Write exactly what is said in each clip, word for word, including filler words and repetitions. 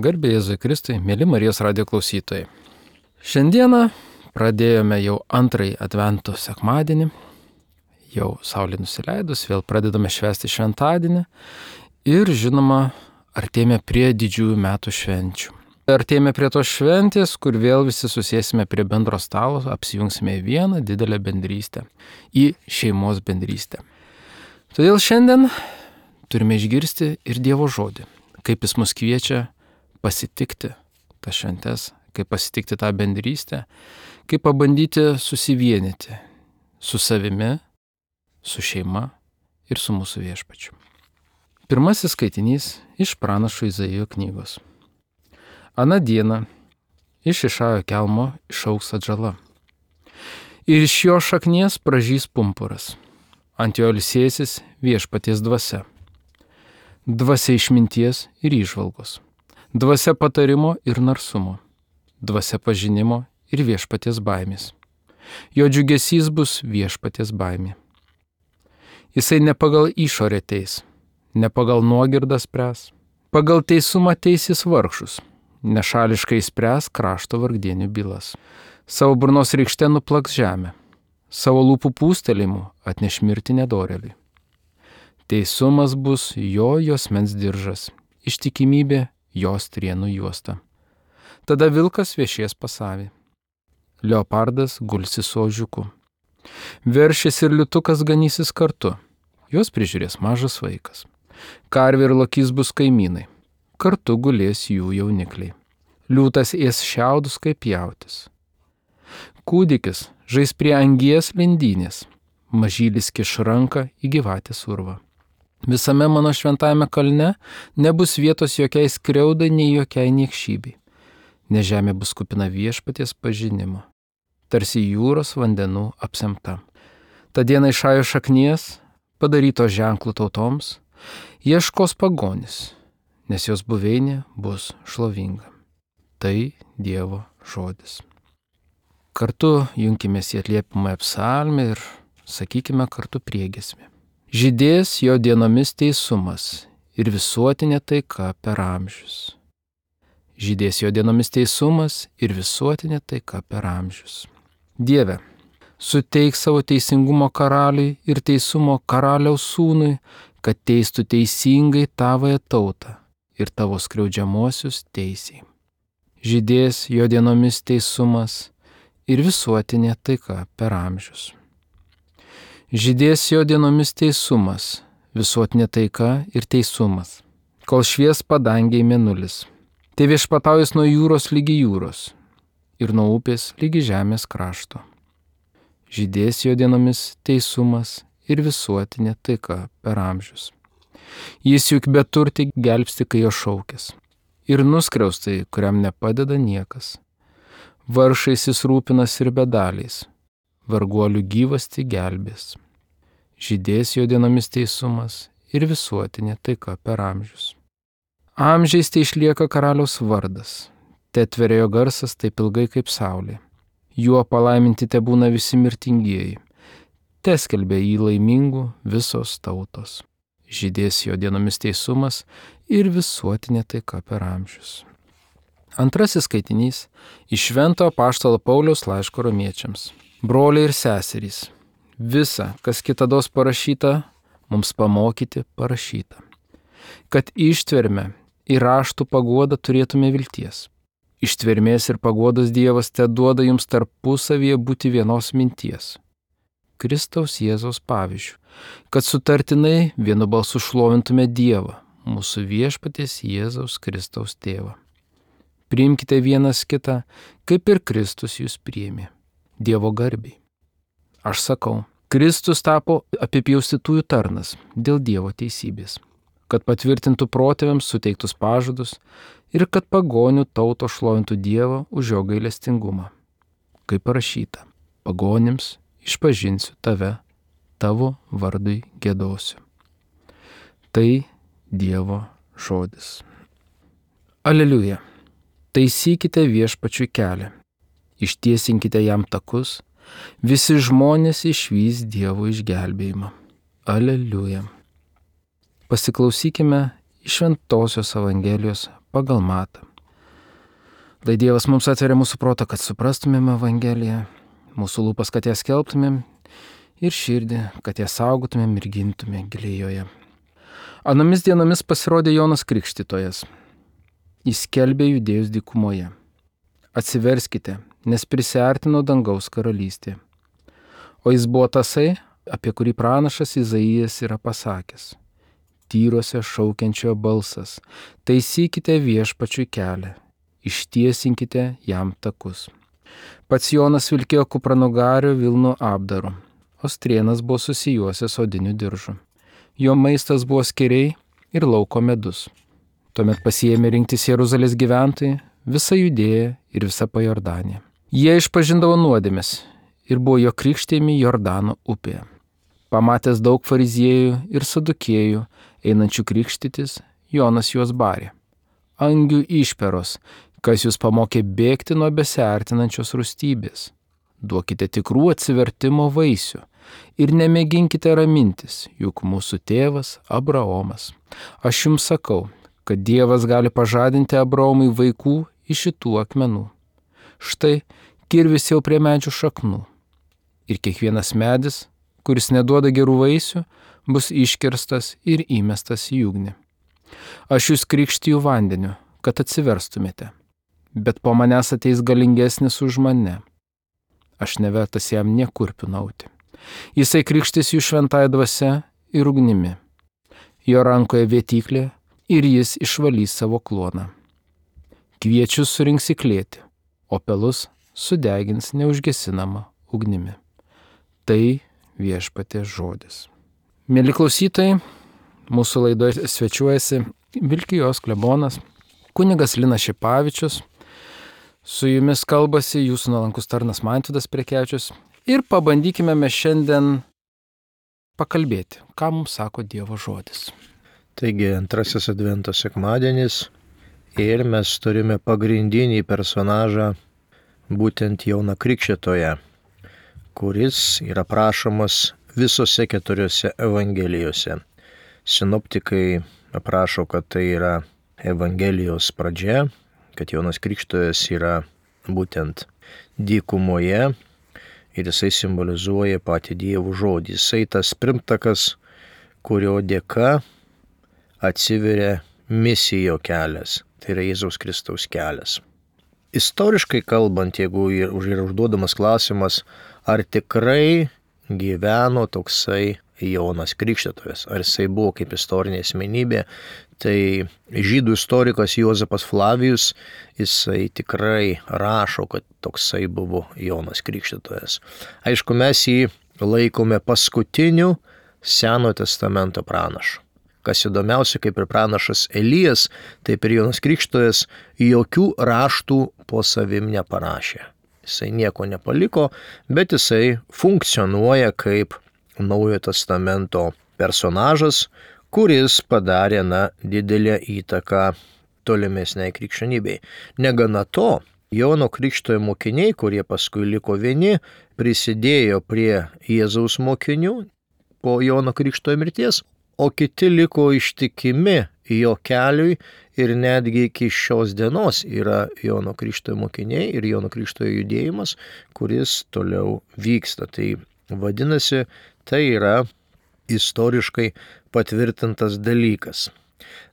Garbė Jėzui Kristui, mėly Marijos radijo klausytojai. Šiandieną pradėjome jau antrąjį advento sekmadienį. Jau saulė nusileidus, vėl pradedame švęsti šventadienį. Ir žinoma, artėjame prie didžiųjų metų švenčių. Artėjame prie tos šventės, kur vėl visi susėsime prie bendro stalo, apsijungsime į vieną didelę bendrystę, į šeimos bendrystę. Todėl šiandien turime išgirsti ir Dievo žodį, kaip Jis mus kviečia pasitikti tas šventes, kaip pasitikti tą bendrystę, kaip pabandyti susivienyti su savimi, su šeima ir su mūsų viešpačiu. Pirmasis skaitinys iš pranašo Izaijo knygos. Aną dieną iš Išajo kelmo išaugs atžala. Ir iš jo šaknies pražys pumpuras. Ant jo ilsėsis viešpaties dvasia. Dvasia išminties ir įžvalgos. Dvasia patarimo ir narsumo. Dvasia pažinimo ir viešpaties baimės. Jo džiugesys bus viešpaties baimė. Jisai ne pagal išorę teis, ne pagal nuogirdą spręs. Pagal teisumą teisės vargšus. Nešališkai spręs krašto vargdienių bylas. Savo burnos rykšte nuplaks žemę. Savo lūpų pūstelėjimu atneš mirtį nedorėliui. Teisumas bus jo juosmens diržas, ištikimybė jos trienų juosta. Tada vilkas viešies pasavį. Leopardas gulsis su ožiuku. Veršis ir liutukas ganysis kartu. Juos prižiūrės mažas vaikas. Karvė ir lokys bus kaimynai. Kartu gulės jų jaunikliai. Liūtas ės šiaudus kaip jautis. Kūdikis žais prie angies lindynės. Mažylis kiš ranką į gyvatės urvą. Visame mano šventajame kalne nebus vietos jokiai skriaudai, nei jokiai niekšybei, nes žemė bus kupina viešpaties pažinimo, tarsi jūros vandenų apsemta. Ta diena Išajo šaknies, padaryto ženklų tautoms, ieškos pagonis, nes jos buveinė bus šlovinga. Tai Dievo žodis. Kartu junkimės į atliepiamąją psalmę ir sakykime kartu priegiesmę. Žydės jo dienomis teisumas ir visuotinė taika per amžius. Žydės jo dienomis teisumas ir visuotinė taika per amžius. Dieve, suteik savo teisingumo karaliui ir teisumo karaliaus sūnui, kad teistų teisingai tavąją tautą ir tavo skriaudžiamuosius teisiai. Žydės jo dienomis teisumas ir visuotinė taika per amžius. Žydės jo dienomis teisumas, visuotinė taika ir teisumas, kol švies padangiai mėnulis. Tai viešpataujas nuo jūros lygi jūros ir nuo upės lygi žemės krašto. Žydės jo dienomis teisumas ir visuotinė taika per amžius. Jis juk beturtį gelbsti, kai jo šaukės, ir nuskriaustai, kuriam nepadeda niekas. Vargšais jis rūpinas ir bedaliais, varguolių gyvasti gelbės. Žydės jo dienomis teisumas ir visuotinė taika per amžius. Amžiais tai išlieka karaliaus vardas, te tveria jo garsas taip ilgai kaip saulė. Juo palaiminti te būna visi mirtingieji, te skelbia jį laimingų visos tautos. Žydės jo dienomis teisumas ir visuotinė taika per amžius. Antrasis skaitinys iš Švento apaštalo Pauliaus laiško romiečiams. Broliai ir seserys, visa, kas kitados parašyta, mums pamokyti parašyta, kad ištverme ir raštų paguodą turėtume vilties. Ištvermės ir paguodos Dievas te duoda jums tarpusavyje būti vienos minties. Kristaus Jėzaus pavyzdžių, kad sutartinai vienu balsu šlovintume Dievą, mūsų viešpaties Jėzaus Kristaus tėvą. Priimkite vienas kitą, kaip ir Kristus jūs priėmė, Dievo garbiai. Aš sakau, Kristus tapo apipjaustytųjų tarnas dėl Dievo teisybės, kad patvirtintų protėviams suteiktus pažadus ir kad pagonių tauto šlovintų Dievą už jo gailestingumą. Kaip parašyta, pagonims išpažinsiu tave, tavo vardui giedosiu. Tai Dievo žodis. Aleliuja. Taisykite viešpačiui kelią, ištiesinkite jam takus, visi žmonės išvys Dievo išgelbėjimą. Aleliuja. Pasiklausykime iš Šventosios Evangelijos pagal Matą. Tai Dievas mums atveria mūsų protą, kad suprastumėm Evangeliją, mūsų lūpas, kad ją skelbtumėm ir širdį, kad ją saugotumėm ir gintumėm giliai joje. Anomis dienomis pasirodė Jonas Krikštytojas. Jis skelbė judėjus dykumoje. Atsiverskite, nes prisiartino dangaus karalystė. O jis buvo tasai, apie kurį pranašas Izaijas yra pasakęs. Tyruose šaukiančio balsas, taisykite viešpačiui kelią, ištiesinkite jam takus. Pats Jonas vilkėjo kupranugario vilnų apdaru, o strėnas buvo susijuosęs odiniu diržu. Jo maistas buvo skėriai ir lauko medus. Tuomet pasiėmė rinktis Jeruzalės gyventojai, visa Judėja ir visa Pajordanija. Jie išpažindavo nuodėmes ir buvo jo krikštėjami Jordano upėje. Pamatęs daug fariziejų ir sadukėjų, einančių krikštytis, Jonas juos barė. Angių išperos, kas jūs pamokė bėgti nuo besiartinančios rūstybės. Duokite tikrų atsivertimo vaisių ir nemėginkite ramintis, juk mūsų tėvas Abraomas. Aš jums sakau, kad Dievas gali pažadinti Abraomui vaikų iš šitų akmenų. Štai kirvis jau prie medžių šaknų. Ir kiekvienas medis, kuris neduoda gerų vaisių, bus iškirstas ir įmestas į ugnį. Aš jūs krikštiju vandeniu, kad atsiverstumėte, bet po manęs ateis galingesnis už mane. Aš nevertas jam niekur pinauti. Jisai krikštys jų šventąja dvasia ir ugnimi. Jo rankoje vėtyklė ir jis išvalys savo kloną. Kviečius surinks į klėtį, o pelus sudegins neužgesinama ugnimi. Tai viešpaties žodis. Mieli klausytojai, mūsų laidoje svečiuojasi Vilkijos klebonas, kunigas Linas Šipavičius. Su jumis kalbasi jūsų nuolankus tarnas Mantvydas Prekevičius. Ir pabandykime mes šiandien pakalbėti, ką mums sako Dievo žodis. Taigi antrasis advento sekmadienis ir mes turime pagrindinį personažą, būtent Joną Krikštytoją, kuris yra aprašomas visose keturiose evangelijose. Sinoptikai aprašo, kad tai yra evangelijos pradžia, kad Jonas Krikštytojas yra būtent dykumoje ir jisai simbolizuoja patį Dievo žodį. Jisai tas pirmtakas, kurio dėka atsiveria misijo kelias, tai yra Jėzaus Kristaus kelias. Istoriškai kalbant, jeigu yra užduodamas klausimas, ar tikrai gyveno toksai Jonas Krikštytojas, ar jisai buvo kaip istorinė asmenybė, tai žydų istorikas Juozapas Flavijus, jisai tikrai rašo, kad toksai buvo Jonas Krikštytojas. Aišku, mes jį laikome paskutiniu Senojo testamento pranašu. Kas įdomiausia, kaip ir pranašas Elijas, taip ir Jonas Krikštytojas jokių raštų po savim neparašė. Jisai nieko nepaliko, bet jisai funkcionuoja kaip Naujojo testamento personažas, kuris padarė na, didelę įtaką tolimesniai krikščionybei. Negana to, Jono Krikštytojo mokiniai, kurie paskui liko vieni, prisidėjo prie Jėzaus mokinių po Jono Krikštytojo mirties, o kiti liko ištikimi jo keliui ir netgi iki šios dienos yra Jono Krikštytojo mokiniai ir Jono Krikštytojo judėjimas, kuris toliau vyksta. Tai vadinasi, tai yra istoriškai patvirtintas dalykas.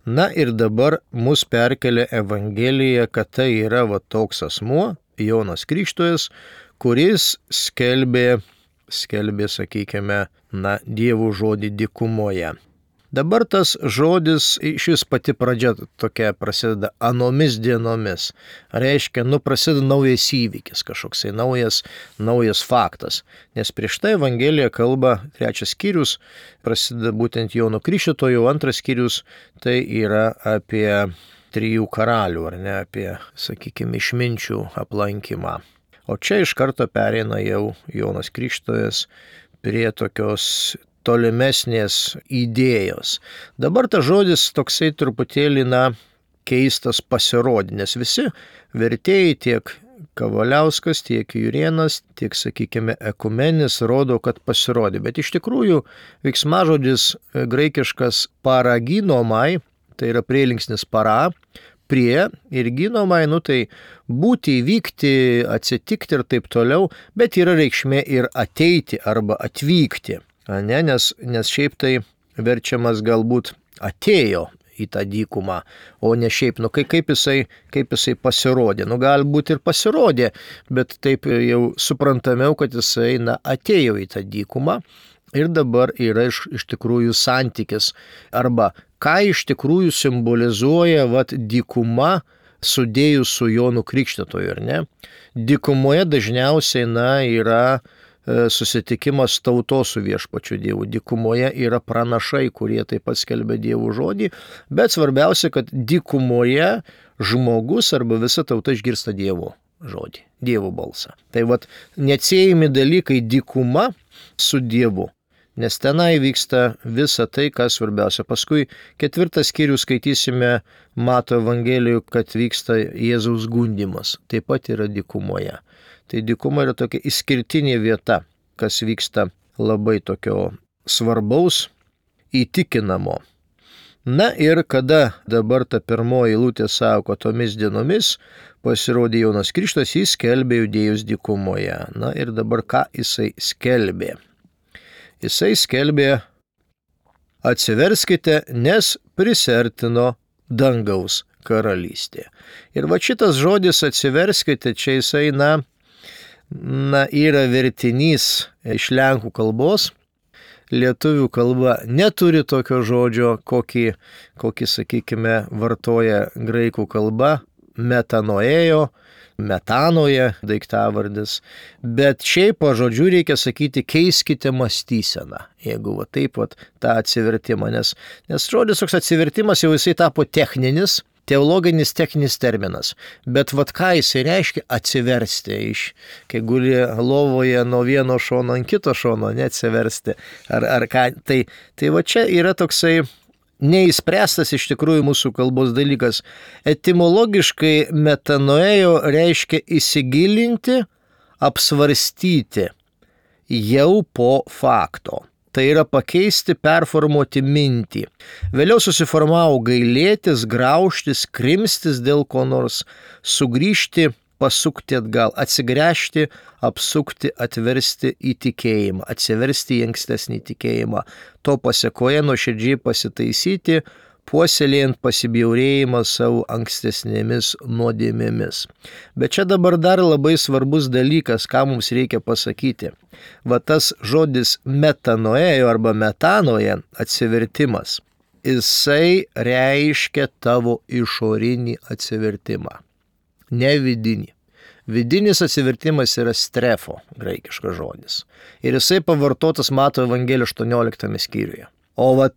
Na ir dabar mus perkelia Evangelija, kad tai yra va toks asmuo, Jonas Krikštytojas, kuris skelbė, skelbė, sakykime, na, Dievo žodį dykumoje. Dabar tas žodis, šis pati pradžia tokia prasideda anomis dienomis. Reiškia, nu prasideda naujas įvykis, kažkoksai naujas, naujas faktas. Nes prieš tai Evangelija kalba, trečias skyrius, prasideda būtent Jono Krikštytojo, antras skyrius, tai yra apie trijų karalių, ar ne, apie, sakykime, išminčių aplankymą. O čia iš karto pereina jau Jonas Krikštytojas prie tokios tolimesnės idėjos. Dabar tas žodis toksai truputėlį, na, keistas pasirodė, nes visi vertėjai tiek Kavaliauskas, tiek Jurėnas, tiek, sakykime, Ekumenis rodo, kad pasirodė. Bet iš tikrųjų veiksmažodis graikiškas paraginomai, tai yra prielinksnis para, prie ir gynomai, nu tai būti, įvykti, atsitikti ir taip toliau, bet yra reikšmė ir ateiti arba atvykti, ne? nes, nes šiaip tai verčiamas galbūt atėjo į tą dykumą, o ne šiaip, nu kaip, kaip, jisai, kaip jisai pasirodė. Nu galbūt ir pasirodė, bet taip jau suprantamiau, kad jisai na, atėjo į tą dykumą ir dabar yra iš, iš tikrųjų santykis. Arba ką iš tikrųjų simbolizuoja vat, dykuma sudėjus su Jonu Krikštytoju, ar ne? Dykumoje dažniausiai na, yra susitikimas tautos su viešpačiu Dievu. Dykumoje yra pranašai, kurie taip pat skelbia Dievo žodį, bet svarbiausia, kad dykumoje žmogus arba visa tauta išgirsta Dievo žodį, Dievo balsą. Tai vat neatsiejami dalykai dykuma su Dievu, nes tenai vyksta visa tai, kas svarbiausia. Paskui ketvirtą skyrių skaitysime Mato Evangelijų, kad vyksta Jėzaus gundymas, taip pat yra dykumoje. Tai dykuma yra tokia išskirtinė vieta, kas vyksta labai tokio svarbaus, įtikinamo. Na ir kada dabar ta pirmoji eilutė sako, tomis dienomis pasirodė Jonas Krikštytojas, jis skelbė judėjus dykumoje. Na ir dabar ką jisai skelbė? Jisai skelbė, atsiverskite, nes prisertino dangaus karalystė. Ir va šitas žodis atsiverskite, čia jisai, na, na, yra vertinys iš lenkų kalbos. Lietuvių kalba neturi tokio žodžio, kokį, kokį sakykime, vartoja graikų kalba, metanoėjo, metanoje daiktavardis, bet šiaip po žodžiu reikia sakyti, keiskite mąstyseną, jeigu va taip va tą atsivertimą, nes, nes žodis toks atsivertimas jau jisai tapo techninis, teologinis techninis terminas, bet vat ką jisai reiškia atsiversti, iš, kai guli lovoje nuo vieno šono ant kito šono, neatsiversti, ar, ar ką, tai, tai va čia yra toksai neįspręstas iš tikrųjų mūsų kalbos dalykas. Etimologiškai metanoėjo reiškia įsigilinti, apsvarstyti jau po fakto. Tai yra pakeisti, performuoti mintį. Vėliau susiformavo gailėtis, graužtis, krimstis dėl ko nors, sugrįžti, pasukti atgal, atsigręžti, apsukti, atversti į tikėjimą, atsiversti į ankstesnį tikėjimą. To pasekoje nuoširdžiai pasitaisyti, puoselėjant pasibjaurėjimą savo ankstesnėmis nuodėmėmis. Bet čia dabar dar labai svarbus dalykas, ką mums reikia pasakyti. Va tas žodis metanoėjo arba metanoje, atsivertimas, jisai reiškia tavo išorinį atsivertimą, ne vidinį. Vidinis atsivertimas yra strefo, graikiškas žodis. Ir jisai pavartotas Mato Evangelijos aštuonioliktame skyriuje. O va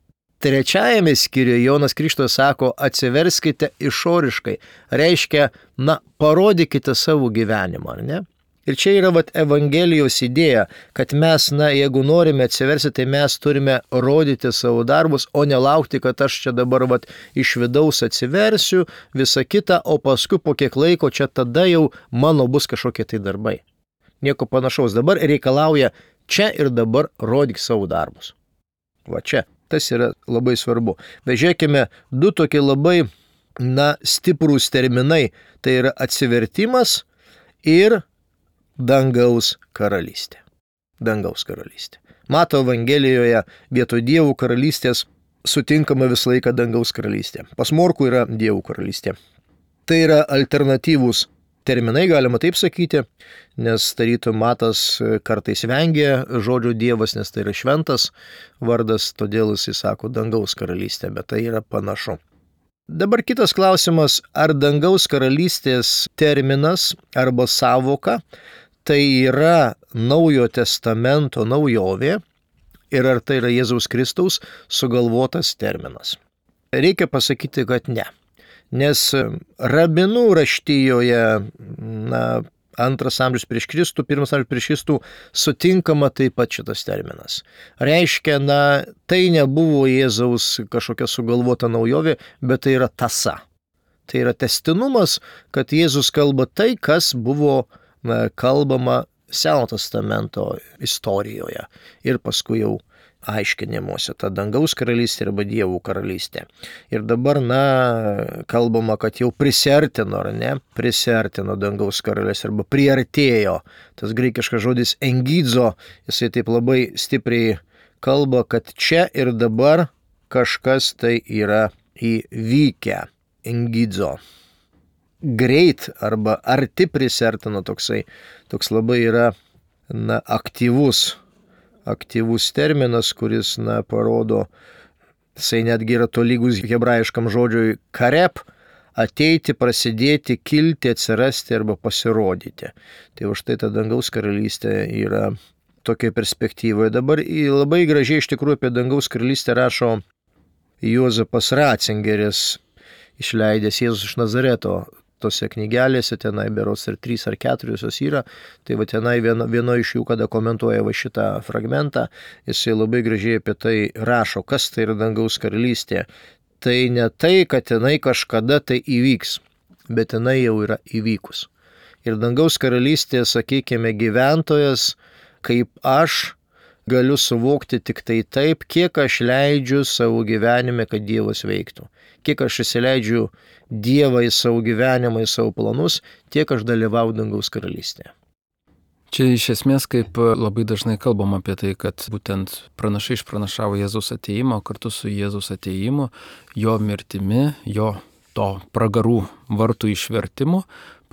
trečiajame skyriuje Jonas Krikštytojas sako, atsiverskite išoriškai. Reiškia, na, parodykite savo gyvenimą, ar ne? Ir čia yra vat Evangelijos idėja, kad mes, na, jeigu norime atsiversti, tai mes turime rodyti savo darbus, o nelaukti, kad aš čia dabar vat iš vidaus atsiversiu, visą kitą, o paskui po kiek laiko čia tada jau mano bus kažkokie tai darbai. Nieko panašaus. Dabar reikalauja čia ir dabar rodyk savo darbus. Va čia. Tas yra labai svarbu. Vežiūrėkime du tokie labai, na, stiprūs terminai. Tai yra atsivertimas ir dangaus karalystė. Dangaus karalystė. Mato Evangelijoje vietoj Dievo karalystės sutinkama visą laiką dangaus karalystė. Pas Morkų yra Dievo karalystė. Tai yra alternatyvūs terminai, galima taip sakyti, nes tarytum Matas kartais vengia žodžio Dievas, nes tai yra šventas vardas, todėl jis sako dangaus karalystė, bet tai yra panašu. Dabar kitas klausimas, ar dangaus karalystės terminas arba savoka tai yra Naujojo testamento naujovė ir ar tai yra Jėzaus Kristaus sugalvotas terminas? Reikia pasakyti, kad ne. Nes rabinų raštijoje, na, antras amžius prieš Kristų, pirmas amžius prieš Kristų sutinkama taip pat šitas terminas. Reiškia, na, tai nebuvo Jėzaus kažkokia sugalvota naujovė, bet tai yra tąsa. Tai yra tęstinumas, kad Jėzus kalba tai, kas buvo na, kalbama Seno testamento istorijoje ir paskui jau aiškinimuose, ta dangaus karalystė arba dievų karalystė. Ir dabar, na, kalbama, kad jau prisiartino, ar ne, prisiartino dangaus karalystė arba priartėjo. Tas graikiškas žodis engidzo, jisai taip labai stipriai kalba, kad čia ir dabar kažkas tai yra įvykę. Engidzo. Greit arba arti prisiartino toksai, toks labai yra, na, aktyvus, aktyvus terminas, kuris, na, parodo, jisai netgi yra tolygus hebrajiškam žodžiui karep, ateiti, prasidėti, kilti, atsirasti arba pasirodyti. Tai už tai ta dangaus karalystė yra tokia perspektyvoje. Dabar labai gražiai iš tikrųjų apie dangaus karalystę rašo Juozapas Ratzingeris, išleidęs Jėzus iš Nazareto. Tose knygelėse, tenai berods ir trys ar keturios jos yra, tai va tenai vieno, vieno iš jų, kada komentuoja va šitą fragmentą, jisai labai gražiai apie tai rašo, kas tai yra dangaus karalystė. Tai ne tai, kad tenai kažkada tai įvyks, bet tenai jau yra įvykus. Ir dangaus karalystė, sakykime, gyventojas, kaip aš, galiu suvokti tik tai taip, kiek aš leidžiu savo gyvenime, kad Dievas veiktų. Kiek aš įsileidžiu Dievą į savo gyvenimą, į savo planus, tiek aš dalyvau dangaus karalystėje. Čia iš esmės kaip labai dažnai kalbam apie tai, kad būtent pranašai išpranašavo Jėzaus ateimą, kartu su Jėzaus ateimu, jo mirtimi, jo to pragarų vartų išvertimu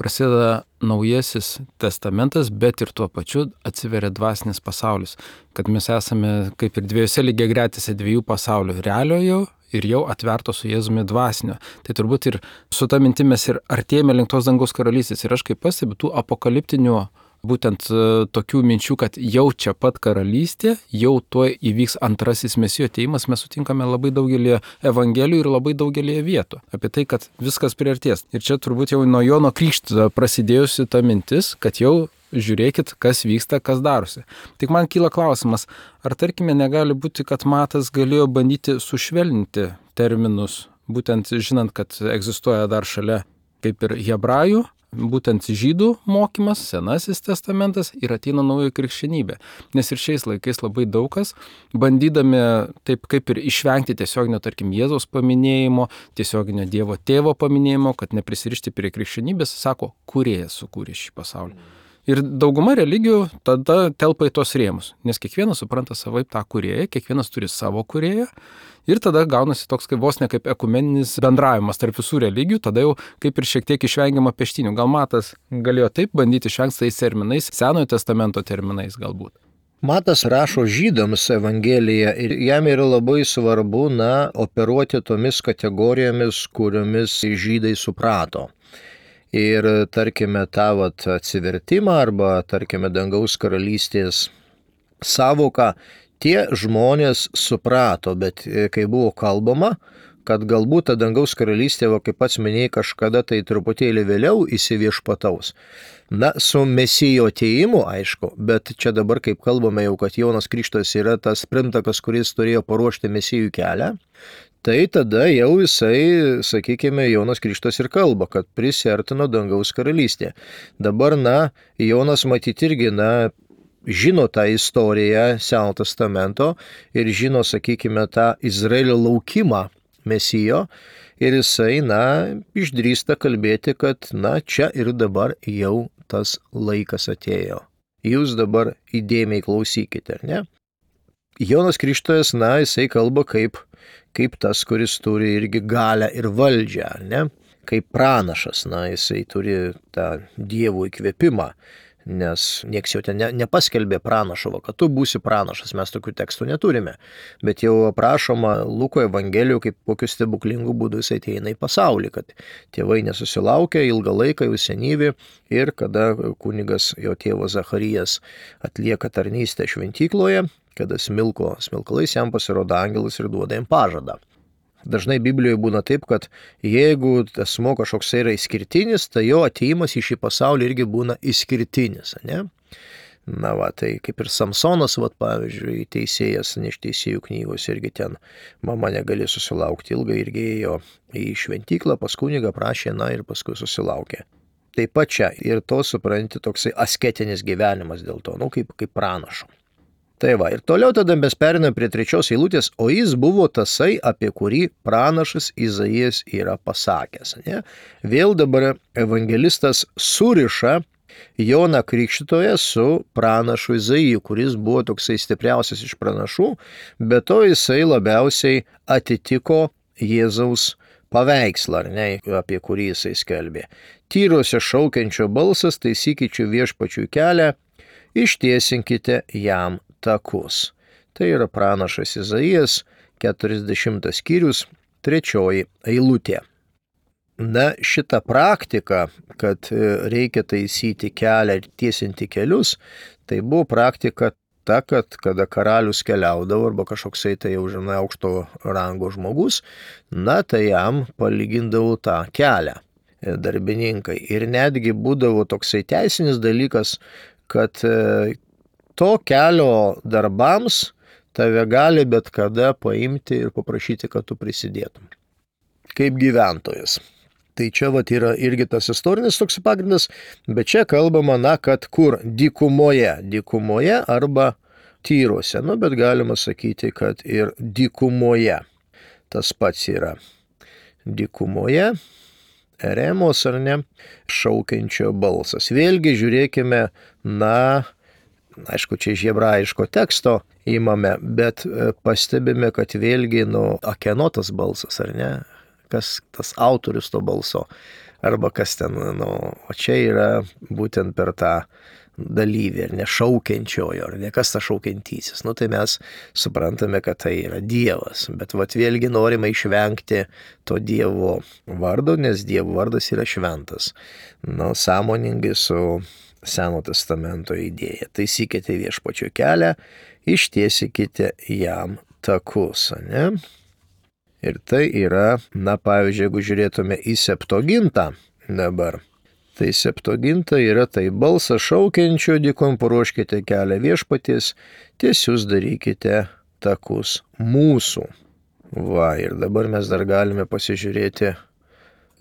prasideda naujasis testamentas, bet ir tuo pačiu atsiveria dvasinis pasaulis, kad mes esame kaip ir dviejose lygiagretėse dviejų pasaulių, realiojo ir jau atverto su Jėzumi dvasinio. Tai turbūt ir su ta mintim mes ir artėjame link tos dangaus karalystės. Ir aš kaip pastebiu tų apokaliptinių būtent tokių minčių, kad jau čia pat karalystė, jau tuo įvyks antrasis Mesijo ateimas, mes sutinkame labai daugelį evangelijų ir labai daugelį vietų. Apie tai, kad viskas priartės. Ir čia turbūt jau nuo Jono Krikštytojo prasidėjusi ta mintis, kad jau žiūrėkit, kas vyksta, kas darosi. Tik man kyla klausimas, ar tarkime negali būti, kad Matas galėjo bandyti sušvelninti terminus, būtent žinant, kad egzistuoja dar šalia kaip ir hebrajų, būtent žydų mokymas, Senasis testamentas ir ateina naujoji krikščionybė. Nes ir šiais laikais labai daug kas, bandydami taip kaip ir išvengti tiesioginio, tarkim, Jėzaus paminėjimo, tiesioginio Dievo tėvo paminėjimo, kad neprisirišti prie krikščionybės, sako, kūrėjas sukūrė šį pasaulį. Ir dauguma religijų tada telpa į tos rėmus, nes kiekvienas supranta savaip tą kūrėją, kiekvienas turi savo kūrėją ir tada gaunasi toks kaip vos ne kaip ekumeninis bendravimas tarp visų religijų, tada jau kaip ir šiek tiek išvengiama peštinių. Gal Matas galėjo taip bandyti išvengti tais terminais, Senojo testamento terminais galbūt. Matas rašo žydams Evangeliją ir jam yra labai svarbu, na, operuoti tomis kategorijomis, kuriomis žydai suprato. Ir tarkime tą vat atsivertimą arba tarkime dangaus karalystės savoką tie žmonės suprato, bet kai buvo kalbama, kad galbūt ta dangaus karalystė, va, kaip pats minėjai, kažkada tai truputėlį vėliau įsiviešpataus. Na, su Mesijo atėjimu, aišku, bet čia dabar kaip kalbame jau, kad Jonas Krikštytojas yra tas pirmtakas, kuris turėjo paruošti Mesijų kelią, tai tada jau jisai, sakykime, Jonas Krikštytojas ir kalba, kad prisiartino dangaus karalystė. Dabar, na, Jonas matyti irgi, na, žino tą istoriją Senojo testamento ir žino, sakykime, tą Izraelio laukimą Mesijo ir jisai, na, išdrįsta kalbėti, kad, na, čia ir dabar jau tas laikas atėjo. Jūs dabar įdėmiai klausykite, ar ne? Jonas Krikštytojas, na, jisai kalba kaip, kaip tas, kuris turi irgi galią ir valdžią, ar ne? Kaip pranašas, na, jisai turi tą Dievo įkvėpimą. Nes nieks jau ten ne, nepaskelbė pranašo, kad tu būsi pranašas, mes tokių tekstų neturime. Bet jau aprašoma Luko Evangelijų, kaip kokiu stebuklingu būdu jis ateina į pasaulį, kad tėvai nesusilaukia ilgą laiką jau senyvi ir kada kunigas jo tėvo Zacharijas atlieka tarnystę šventykloje, kada smilko smilkalais jam pasirodo angelas ir duoda jam pažadą. Dažnai Biblijoje būna taip, kad jeigu asmuo kažkoks yra išskirtinis, tai jo atėjimas į šį pasaulį irgi būna išskirtinis, ne? Na va, tai kaip ir Samsonas, va, pavyzdžiui, teisėjas, ne iš teisėjų knygos, irgi ten mama negali susilaukti ilgai, irgi ėjo į šventyklą, pas kunigą prašė, na ir paskui susilaukė. Taip pat čia ir to supranti toksai asketinis gyvenimas dėl to, nu kaip, kaip pranašo. Tai va, ir toliau tada mes periname prie trečios eilutės, o jis buvo tasai, apie kurį pranašas Izaijas yra pasakęs. Ne? Vėl dabar evangelistas suriša Joną Krikštytoją su pranašu Izaiju, kuris buvo toksai stipriausias iš pranašų, bet to jisai labiausiai atitiko Jėzaus paveikslą, ar ne, apie kurį jisai skelbė. Tyruose šaukiančio balsas, taisykite viešpačiui kelią, ištiesinkite jam takus. Tai yra pranašas Izaijas, keturiasdešimtas skyrius, trečioji eilutė. Na, šita praktika, kad reikia taisyti kelią ir tiesinti kelius, tai buvo praktika ta, kad kada karalius keliaudavo arba kažkoksai tai jau žinai aukšto rango žmogus, na, tai jam palygindavo tą kelią darbininkai. Ir netgi būdavo toksai teisinis dalykas, kad to kelio darbams tave gali bet kada paimti ir paprašyti, kad tu prisidėtum. Kaip gyventojas. Tai čia vat yra irgi tas istorinis toks pagrindas, bet čia kalbama, na, kad kur dykumoje, dykumoje arba tyruose, nu, bet galima sakyti, kad ir dykumoje tas pats yra. Dykumoje, eremos ar ne, šaukiančio balsas. Vėlgi žiūrėkime, na, aišku, čia iš hebrajiško teksto įmame, bet pastebime, kad vėlgi, nu, akieno tas balsas, ar ne? Kas tas autorius to balso, arba kas ten, nu, o čia yra būtent per tą dalyvį, ar ne šaukiančiojo, ar ne kas tas šaukiantysis. Nu, tai mes suprantame, kad tai yra Dievas, bet vat vėlgi norime išvengti to Dievo vardo, nes Dievo vardas yra šventas. Nu, sąmoningai su Seno testamento idėja. Taisykite viešpačio kelią, ištiesikite jam takus, ne? Ir tai yra, na, pavyzdžiui, jeigu žiūrėtume į Septuagintą dabar, tai Septuaginta yra tai balsas šaukiančio dykum, paruoškite kelią viešpaties, tiesius darykite takus mūsų. Va, ir dabar mes dar galime pasižiūrėti,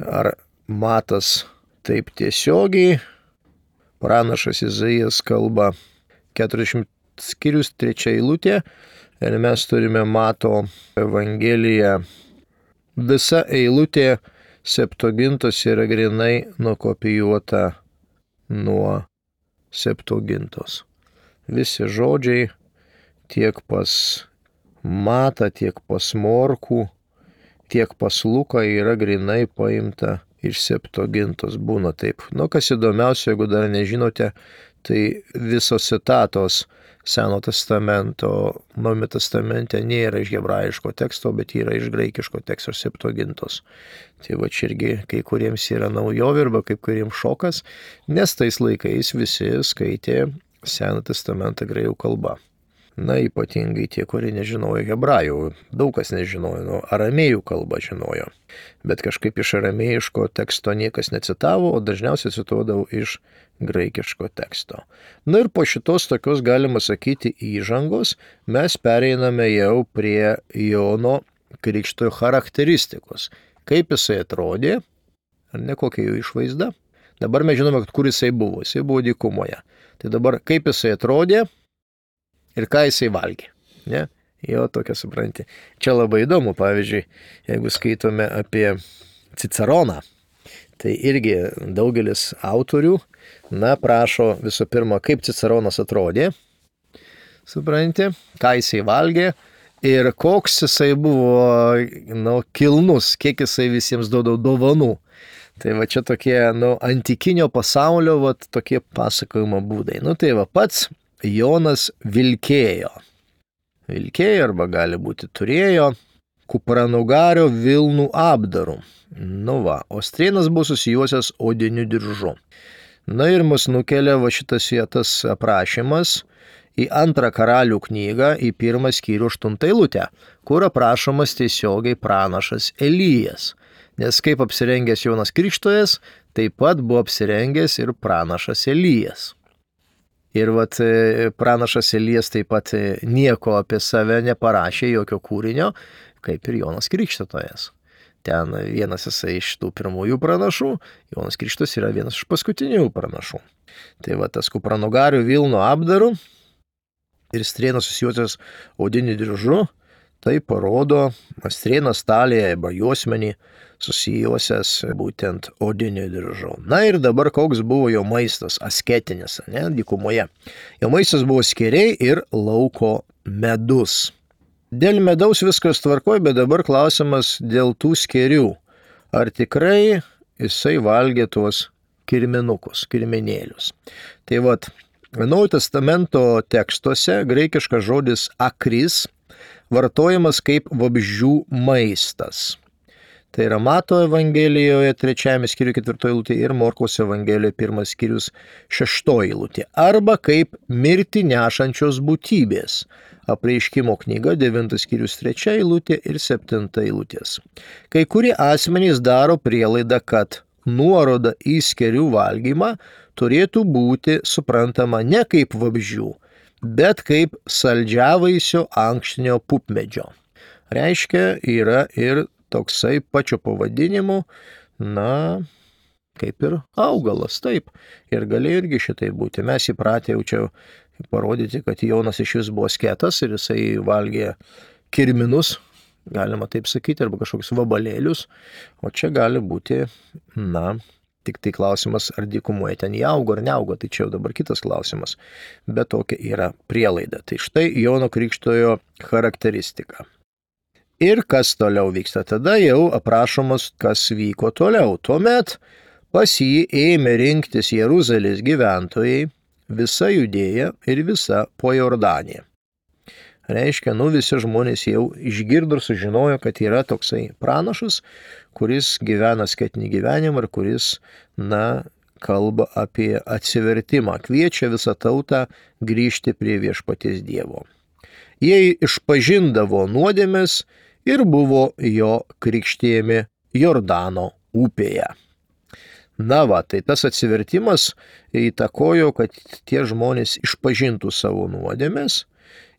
ar matas taip tiesiogiai. Pranašas Izaijas kalba keturiasdešimtas skyrius, trečia eilutė. Ir mes turime Mato Evangeliją. Visa eilutė Septuagintos yra grinai nukopijuota nuo Septuagintos. Visi žodžiai tiek pas Matą, tiek pas Morkų, tiek pas Luką yra grinai paimta iš Septuagintos. Būna taip. Nu, kas įdomiausia, jeigu dar nežinote, tai visos citatos Seno testamento, Naujame testamente nėra iš hebrajiško teksto, bet yra iš graikiško teksto Septuagintos. Tai va čia irgi kai kuriems yra naujovė arba kai kuriems šokas, nes tais laikais visi skaitė Seną testamentą graikų kalba. Na, ypatingai tie, kurie nežinojo hebrajų, daug kas nežinojo, nu, aramėjų kalbą žinojo. Bet kažkaip iš aramėjiško teksto niekas necitavo, o dažniausiai cituodavo iš graikiško teksto. Na ir po šitos tokios, galima sakyti, įžangos mes pereiname jau prie Jono Krikštytojo charakteristikos. Kaip jisai atrodė, ar ne kokia jo išvaizda. Dabar mes žinome, kur jisai buvo. Jisai buvo dykumoje. Tai dabar kaip jisai atrodė ir ką jisai valgė. Ne? Jo, tokia supranti. Čia labai įdomu, pavyzdžiui, jeigu skaitome apie Ciceroną, tai irgi daugelis autorių, na, prašo visų pirma, kaip Ciceronas atrodė, supranti, ką jisai valgė ir koks jisai buvo, nu, kilnus, kiek jisai visiems duodavo dovanų. Tai va čia tokie, nu, antikinio pasaulio, va, tokie pasakojimo būdai. Nu, tai va pats Jonas vilkėjo. Vilkėjo arba gali būti turėjo kupranugario vilnų apdarų. Nu va, o strėnas buvo susijuosias odiniu diržu. Na ir mus nukelia va šitas vietas aprašymas į antrą karalių knygą, į pirmą skyrių aštuntą eilutę, kur aprašomas tiesiogiai pranašas Elijas. Nes kaip apsirengęs Jonas Krikštytojas, taip pat buvo apsirengęs ir pranašas Elijas. Ir vat pranašas Elijas taip pat nieko apie save neparašė, jokio kūrinio, kaip ir Jonas Krikštytojas. Ten vienas jisai iš tų pirmųjų pranašų, Jonas Krikštytojas yra vienas iš paskutinių pranašų. Tai va tas kupranugarių vilno apdarų, ir strėnas susijusios odiniu diržu, tai parodo strėnas talėje arba juosmenį susijusias būtent odiniu diržu. Na ir dabar koks buvo jo maistas, asketinis, ne, dykumoje. Jo maistas buvo skėriai ir lauko medus. Dėl medaus viskas tvarkoja, bet dabar klausimas dėl tų skėrių. Ar tikrai jisai valgė tuos kirminukus, kirminėlius? Tai vat, Naujojo testamento tekstuose graikiškas žodis akris vartojamas kaip vabzdžių maistas. Tai yra Mato Evangelijoje trečiajame skyriuje ketvirtoji eilutė ir Morkaus Evangelijoje pirmas skyrius šeštoji eilutė. Arba kaip mirtį nešančios būtybės. Apreiškimo knyga devintas skyrius trečia eilutė ir septinta eilutės. Kai kurie asmenys daro prielaidą, kad nuoroda į skėrių valgymą turėtų būti suprantama ne kaip vabzdžių, bet kaip saldžiavaisio ankštinio pupmedžio. Reiškia, yra ir toksai pačio pavadinimu, na, kaip ir augalas, taip. Ir galėjo irgi šitai būti. Mes įpratę jau čia parodyti, kad Jonas iš vis buvo asketas ir jisai valgė kirminus, galima taip sakyti, arba kažkokius vabalėlius. O čia gali būti, na, tik tai klausimas, ar dykumoje ten jie augo ar neaugo, tai čia jau dabar kitas klausimas. Bet tokia yra prielaida. Tai štai Jono Krikštojo charakteristika. Ir kas toliau vyksta? Tada jau aprašomas, kas vyko toliau. Tuomet pas jį ėmė rinktis Jeruzalės gyventojai, visa Judėja ir visa po Jordanija. Reiškia, nu visi žmonės jau išgirdo ir sužinojo, kad yra toksai pranašas, kuris gyvena asketinį gyvenimą ir kuris, na, kalba apie atsivertimą, kviečia visą tautą grįžti prie viešpaties Dievo. Jie išpažindavo nuodėmes ir buvo jo krikštijami Jordano upėje. Na va, tai tas atsivertimas įtakojo, kad tie žmonės išpažintų savo nuodėmes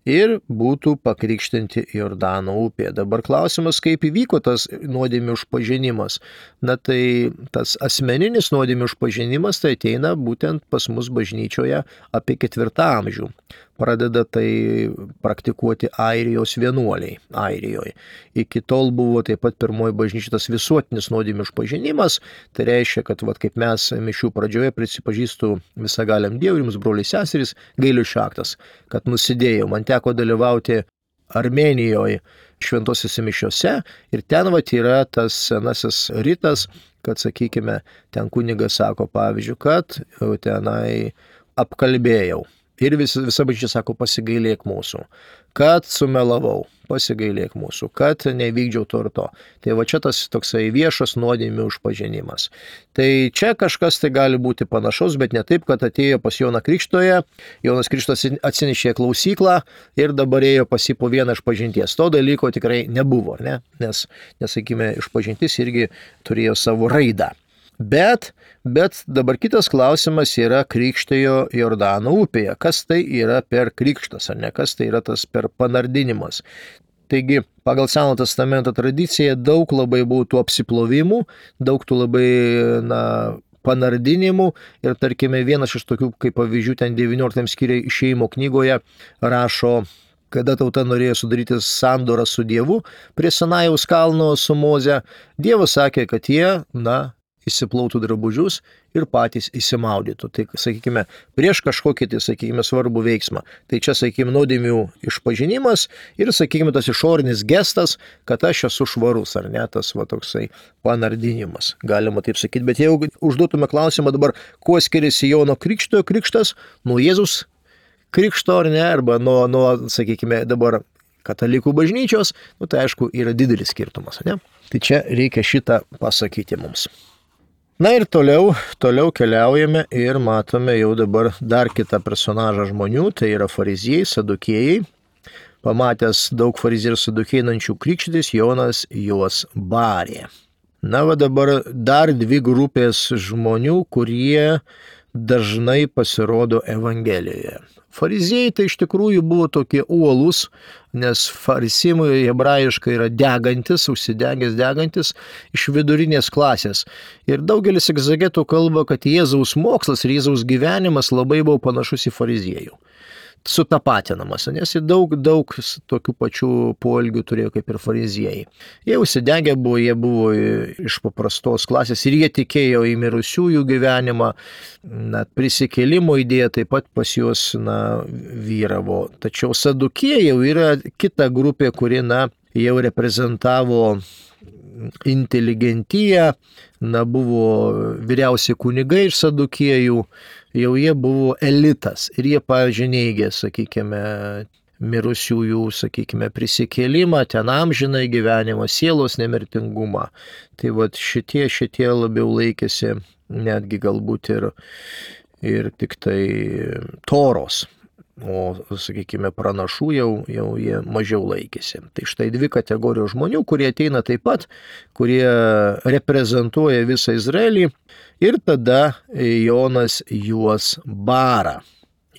ir būtų pakrikštinti Jordano upėje. Dabar klausimas, kaip įvyko tas nuodėmių išpažinimas. Na tai tas asmeninis nuodėmių išpažinimas tai ateina būtent pas mus bažnyčioje apie ketvirtą amžių. Pradeda tai praktikuoti Airijos vienuoliai, Airijoje. Iki tol buvo taip pat pirmoji bažnyčia tas visuotinis nuodėmių išpažinimas. Tai reiškia, kad vat, kaip mes mišių pradžioje prisipažįstu visagaliam Dievui, jums broliai seserys, gailiušio aktas, kad nusidėjau. Man teko dalyvauti Armėnijoje šventosiuose mišiuose ir ten vat yra tas senasis ritas, kad, sakykime, ten kunigas sako, pavyzdžiui, kad tenai apkalbėjau. Ir vis, visa bažnyčia sako, pasigailėk mūsų, kad sumelavau, pasigailėk mūsų, kad nevykdžiau to ir to. Tai va čia tas toksai viešas nuodėmių išpažinimas. Tai čia kažkas tai gali būti panašaus, bet ne taip, kad atėjo pas Joną Krikštoje, Jonas Krikštas atsinešė klausyklą ir dabar ėjo pas jį po vieną išpažinties. To dalyko tikrai nebuvo, ne? Nes, nesakykime, išpažintis irgi turėjo savo raidą. Bet, bet dabar kitas klausimas yra krikštijo Jordano upėje. Kas tai yra per krikštas, ar ne? Kas tai yra tas per panardinimas? Taigi, pagal Senojo testamento tradiciją daug labai buvo tų apsiplovimų, daug tų labai, na, panardinimų ir, tarkime, vienas iš tokių, kaip pavyzdžių, ten devynioliktam skyriuje Išėjimo knygoje rašo, kada tauta norėjo sudaryti sandorą su Dievu prie Sinajaus kalno su Moze, Dievas sakė, kad jie, na, įsiplautų drabužius ir patys įsimaudytų. Tai, sakykime, prieš kažkokį, tai, sakykime, svarbų veiksmą. Tai čia, sakykime, nuodėmių išpažinimas ir, sakykime, tas išorinis gestas, kad aš esu švarus, ar ne, tas va toksai panardinimas, galima taip sakyti. Bet jeigu užduotume klausimą dabar, kuo skiriasi Jono Krikštojo krikštas nuo Jėzus krikšto, ar ne, arba nuo, nuo, sakykime, dabar katalikų bažnyčios, nu, tai aišku, yra didelis skirtumas, ne? Tai čia reikia šitą pasakyti mums. Na ir toliau, toliau keliaujame ir matome jau dabar dar kitą personažą žmonių, tai yra fariziejai, sadukėjai. Pamatęs daug fariziejų ir sadukėjų einančių krikštytis, Jonas juos barė. Na va dabar dar dvi grupės žmonių, kurie dažnai pasirodo Evangelijoje. Fariziejai tai iš tikrųjų buvo tokie uolūs, nes farisimai hebrajiškai yra degantis, užsidegęs degantis iš vidurinės klasės. Ir daugelis egzegetų kalba, kad Jėzaus mokslas ir Jėzaus gyvenimas labai buvo panašus į fariziejų. sutapatinamas, nes jie daug, daug tokių pačių poelgių turėjo kaip ir fariziejai. Jie užsidegę buvo, jie buvo iš paprastos klasės ir jie tikėjo į mirusiųjų gyvenimą, na, prisikėlimo idėja taip pat pas juos, na, vyravo. Tačiau sadukėjai jau yra kita grupė, kuri, na, jau reprezentavo inteligentiją, na, buvo vyriausi kunigai iš sadukėjų, jau jie buvo elitas ir jie, pavyzdžiui, neigė, sakykime, mirusiųjų, sakykime, prisikėlimą, ten amžinai gyvenimą, sielos nemirtingumą. Tai vat šitie, šitie labiau laikėsi netgi galbūt ir, ir tik tai Toros. O, sakykime, pranašų jau, jau jie mažiau laikėsi. Tai štai dvi kategorijos žmonių, kurie ateina taip pat, kurie reprezentuoja visą Izraelį ir tada Jonas juos bara.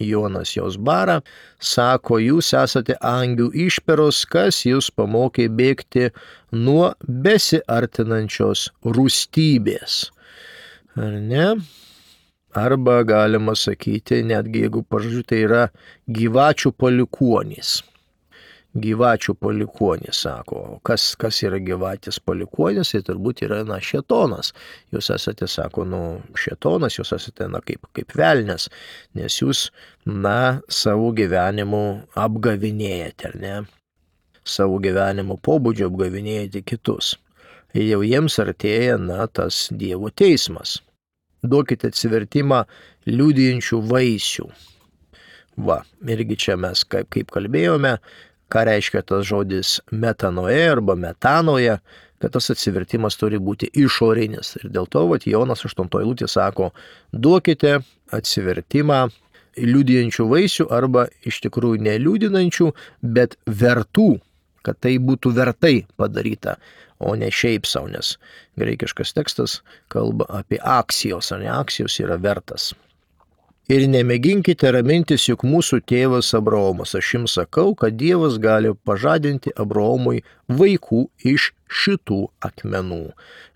Jonas juos bara, sako, jūs esate angių išperos, kas jūs pamokė bėgti nuo besiartinančios rūstybės. Ar ne? Arba galima sakyti, netgi jeigu pažodžiu, tai yra gyvačių palikuonys. Gyvačių palikuonys, sako. Kas, kas yra gyvatės palikuonys, tai turbūt yra, na, šėtonas. Jūs esate, sako, nu, šėtonas, jūs esate, na, kaip, kaip velnias, nes jūs, na, savo gyvenimu apgavinėjate, ar ne? Savo gyvenimo pobūdžio apgavinėjate kitus. Ir jau jiems artėja, na, tas Dievo teismas. Duokite atsivertimą liudijančių vaisių. Va, irgi čia mes kaip, kaip kalbėjome, ką reiškia tas žodis metanoje arba metanoje, kad tas atsivertimas turi būti išorinis. Ir dėl to, vat, Jonas aštuntoji eilutė sako, duokite atsivertimą liudijančių vaisių arba iš tikrųjų neliudinančių, bet vertų, kad tai būtų vertai padaryta, o ne šiaip savo, nes graikiškas tekstas kalba apie aksijos, o ne aksijos yra vertas. Ir nemėginkite ramintis, juk mūsų tėvas Abraomas, aš jums sakau, kad Dievas gali pažadinti Abraomui vaikų iš šitų akmenų.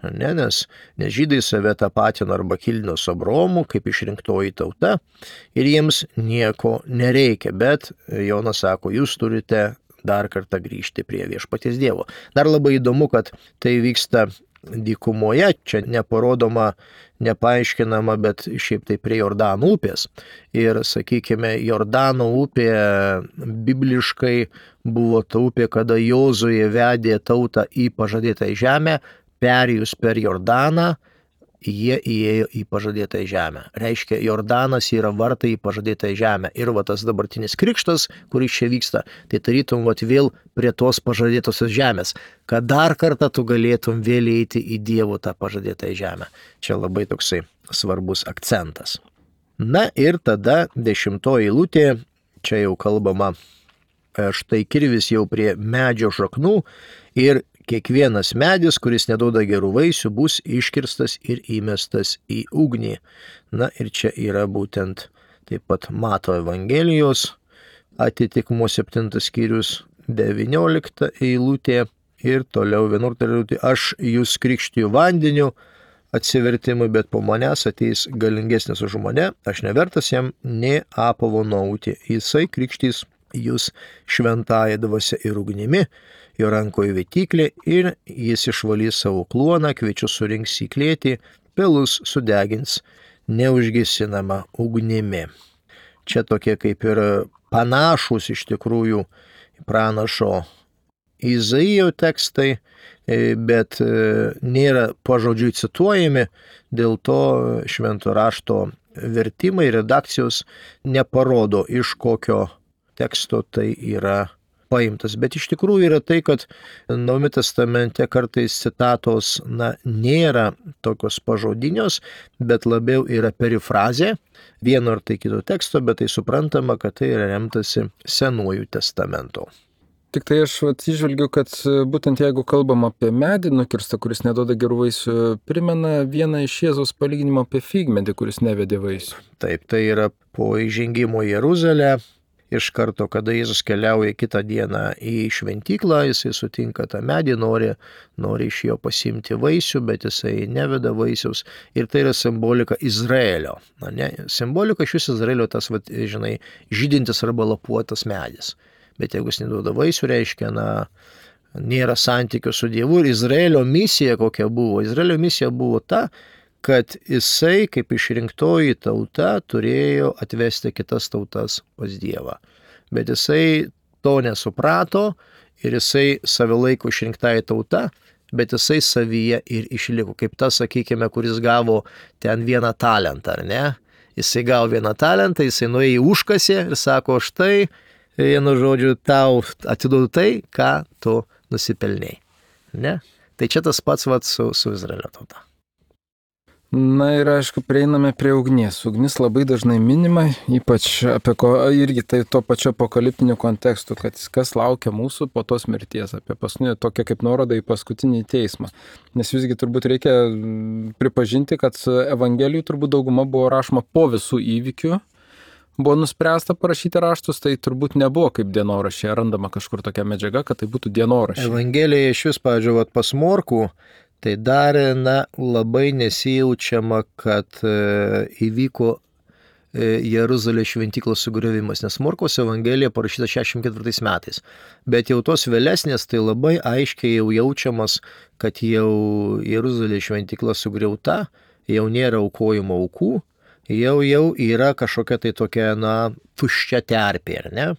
Ne, nes, nes žydai save tapatino arba kilino su Abraomu kaip išrinktoji tauta ir jiems nieko nereikia, bet Jonas sako, jūs turite dar kartą grįžti prie viešpaties Dievo. Dar labai įdomu, kad tai vyksta dykumoje, čia neparodoma, nepaaiškinama, bet šiaip tai prie Jordano upės. Ir, sakykime, Jordano upė bibliškai buvo ta upė, kada Jozuė vedė tautą į pažadėtą žemę, perėjus per Jordaną, jie įėjo į pažadėtą žemę. Reiškia, Jordanas yra vartai į pažadėtą žemę. Ir va tas dabartinis krikštas, kuris čia vyksta, tai tarytum va vėl prie tos pažadėtosios žemės, kad dar kartą tu galėtum vėl eiti į Dievo tą pažadėtą žemę. Čia labai toksai svarbus akcentas. Na ir tada dešimtoji eilutė, čia jau kalbama, štai kirvis jau prie medžio šaknų ir kiekvienas medis, kuris neduoda gerų vaisių, bus iškirstas ir įmestas į ugnį. Na ir čia yra būtent taip pat Mato Evangelijos atitikmuo septintas skyrius devyniolikta eilutė ir toliau vienuolikta eilutė. Aš jūs krikštiju vandeniu atsivertimui, bet po manęs ateis galingesnis už mane, aš nevertas jam nė apavo nauti. Jisai krikštys jūs šventąja dvasia ir ugnimi, jo rankoje vytyklė ir jis išvalys savo kluoną, kviečius surinks į klėtį, pelus sudegins neužgesinama ugnimi. Čia tokie kaip ir panašus iš tikrųjų pranašo Izaijo tekstai, bet nėra pažodžiui cituojami, dėl to švento rašto vertimai, redakcijos neparodo, iš kokio teksto tai yra paimtas. Bet iš tikrųjų yra tai, kad Naujame testamente kartais citatos, na, nėra tokios pažodinios, bet labiau yra perifrazė vieno ar tai kito teksto, bet tai suprantama, kad tai yra remtasi Senuoju testamento. Tik tai aš atsižvelgiu, kad būtent jeigu kalbam apie medį nukirstą, kuris neduoda gerų vaisių, primena vieną iš Jėzaus palyginimo apie figmedį, kuris nevedė vaisių. Taip, tai yra po įžengimo į Jeruzalę iš karto, kada Jėzus keliauja kitą dieną į šventyklą, jisai sutinka tą medį, nori, nori iš jo pasimti vaisių, bet jisai neveda vaisiaus. Ir tai yra simbolika Izraelio. Na, ne? Simbolika iš vis Izraelio tas, vat, žinai, žydintis arba lapuotas medis. Bet jeigu jis neduoda vaisių, reiškia, na, nėra santykių su Dievu. Ir Izraelio misija kokia buvo? Izraelio misija buvo ta, kad jisai, kaip išrinktoji tauta, turėjo atvesti kitas tautas pas Dievą. Bet jisai to nesuprato ir jisai save laiko išrinktai tauta, bet jisai savyje ir išliko. Kaip tas, sakykime, kuris gavo ten vieną talentą, ar ne? Jisai gavo vieną talentą, jisai nuėjo į užkasį ir sako, štai, vienu žodžiu, tau atiduodu tai, ką tu nusipelnėjai. Ne? Tai čia tas pats vat, su, su Izraelio tauta. Na ir aišku, prieiname prie ugnies. Ugnis labai dažnai minima, ypač apie ko, irgi tai to pačio apokaliptinių kontekstų, kad kas laukia mūsų po tos mirties, apie paskutinį, tokia kaip nuoroda į paskutinį teismą. Nes visgi turbūt reikia pripažinti, kad Evangelijų turbūt dauguma buvo rašoma po visų įvykių. Buvo nuspręsta parašyti raštus, tai turbūt nebuvo kaip dienoraščiai, randama kažkur tokia medžiaga, kad tai būtų dienoraščiai. Evangelija iš vis, pavyzdžiui, pas Morkų, tai dar, na, labai nesijaučiama, kad e, įvyko e, Jeruzalės šventyklos sugriovimas, nes Morkaus Evangelija parašyta šešiasdešimt ketvirtais metais. Bet jau tos vėlesnės, tai labai aiškiai jau jaučiamas, kad jau Jeruzalės šventykla sugriauta, jau nėra aukojimo aukų, jau jau yra kažkokia tai tokia, na, tuščia terpė, ar ne?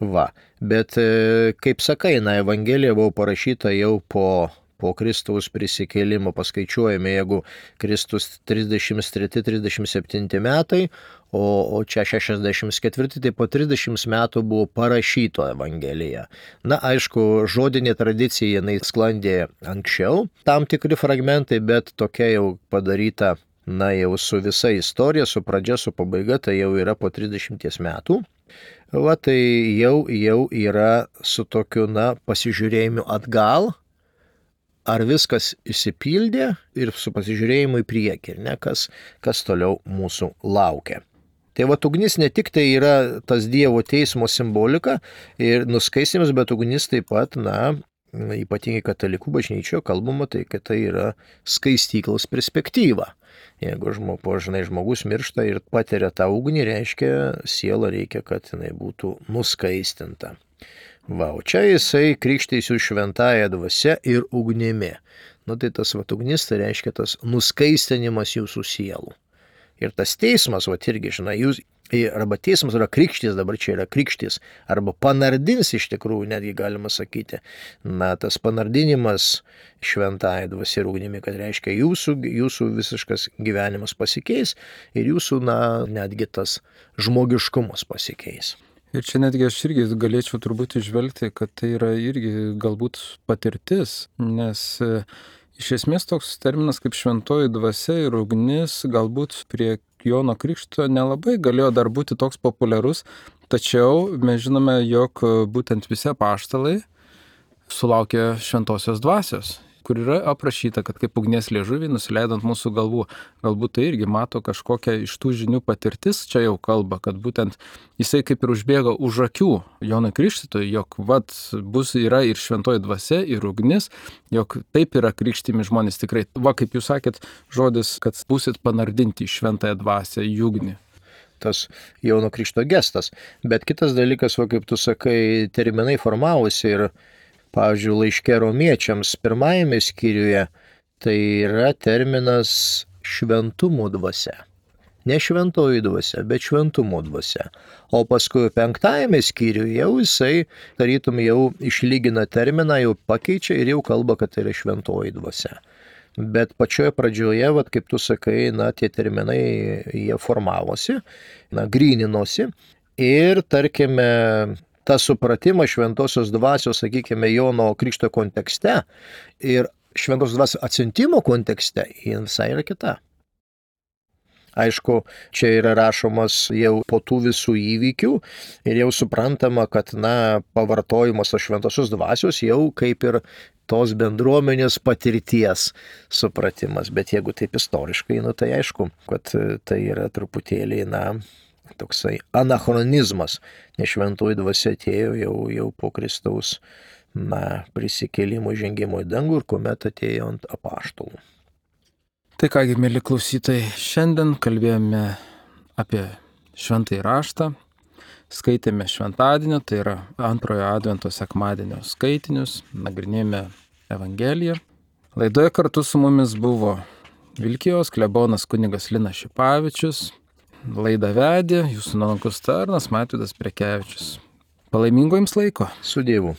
Va, bet e, kaip sakai, na, Evangelija buvo parašyta jau po po Kristaus prisikėlimo, paskaičiuojame, jeigu Kristus trisdešimt treti trisdešimt septinti metai, o, o čia šešiasdešimt ketvirti, tai po trisdešimt metų buvo parašyto Evangelija. Na, aišku, žodinė tradicija, jinai sklandė anksčiau, tam tikri fragmentai, bet tokia jau padaryta, na, jau su visa istorija, su pradžia, su pabaiga, tai jau yra po trisdešimt metų. Va, tai jau, jau yra su tokiu, na, pasižiūrėjimu atgal, ar viskas išsipildė ir su pasižiūrėjimu į priekį, ne, kas, kas toliau mūsų laukia. Tai va, ugnis ne tik tai yra tas Dievo teismo simbolika ir nuskaistimas, bet ugnis taip pat, na, ypatingai katalikų bažnyčioje kalbama, tai kad tai yra skaistyklos perspektyva. Jeigu žmogus, žinai, žmogus miršta ir patiria tą ugnį, reiškia, siela reikia, kad jinai būtų nuskaistinta. Va, o čia jisai krikštysiu šventąją dvasia ir ugnimi. Nu tai tas va, ugnis, tai reiškia tas nuskaistinimas jūsų sielų. Ir tas teismas, va, irgi, žinai, jūs, arba teismas yra krikštys, dabar čia yra krikštys, arba panardins iš tikrųjų, netgi galima sakyti. Na, tas panardinimas šventąją dvasia ir ugnimi, kad reiškia jūsų, jūsų visiškas gyvenimas pasikeis ir jūsų, na, netgi tas žmogiškumas pasikeis. Ir čia netgi aš irgi galėčiau turbūt išvelgti, kad tai yra irgi galbūt patirtis, nes iš esmės toks terminas kaip šventoji dvasia ir ugnis galbūt prie Jono Krikšto nelabai galėjo dar būti toks populiarus, tačiau mes žinome, jog būtent visi apaštalai sulaukė šventosios dvasios, kur yra aprašyta, kad kaip ugnies liežuviai nusileido ant mūsų galvų. Galbūt tai irgi mato kažkokią iš tų žinių patirtis, čia jau kalba, kad būtent jisai kaip ir užbėga už akių Jonui Krikštytojui, jog vat bus yra ir šventoji dvasia, ir ugnis, jog taip yra krikštimi žmonės tikrai. Va, kaip jūs sakėt, žodis, kad būsit panardinti į šventąją dvasią, į ugnį. Tas Jono Krikšto gestas. Bet kitas dalykas, va, kaip tu sakai, terminai formavosi ir pavyzdžiui, laiške romiečiams pirmajame skyriuje tai yra terminas šventumo dvasia. Ne šventoji dvasia, bet šventumo dvasia. O paskui penktajame skyriuje jau jisai, tarytum, jau išlygina terminą, jau pakeičia ir jau kalba, kad tai yra šventoji dvasia. Bet pačioje pradžioje, vat, kaip tu sakai, na, tie terminai, jie formavosi, na, gryninosi ir, tarkime, tą supratimą šventosios dvasios, sakykime, Jono Krikšto kontekste ir šventosios dvasios atsiuntimo kontekste, jie visai yra kita. Aišku, čia yra rašomas jau po tų visų įvykių ir jau suprantama, kad, na, pavartojimas tos šventosios dvasios jau kaip ir tos bendruomenės patirties supratimas. Bet jeigu taip istoriškai, nu, tai aišku, kad tai yra truputėlį, na, toksai anachronizmas, nes šventoji dvasia atėjo jau, jau po Kristaus na, prisikėlimo žengimo į dangų ir kuomet atėjo ant apaštalų. Tai kągi, mėly klausytojai, šiandien kalbėjome apie šventąjį raštą, skaitėme šventadienio, tai yra antrojo advento sekmadienio skaitinius, nagrinėjome Evangeliją. Laidoje kartu su mumis buvo Vilkijos klebonas kunigas Linas Šipavičius, laidą vedė jūsų nuolankus tarnas Mažvydas Prekevičius. Palaimingo jums laiko. Su Dievu.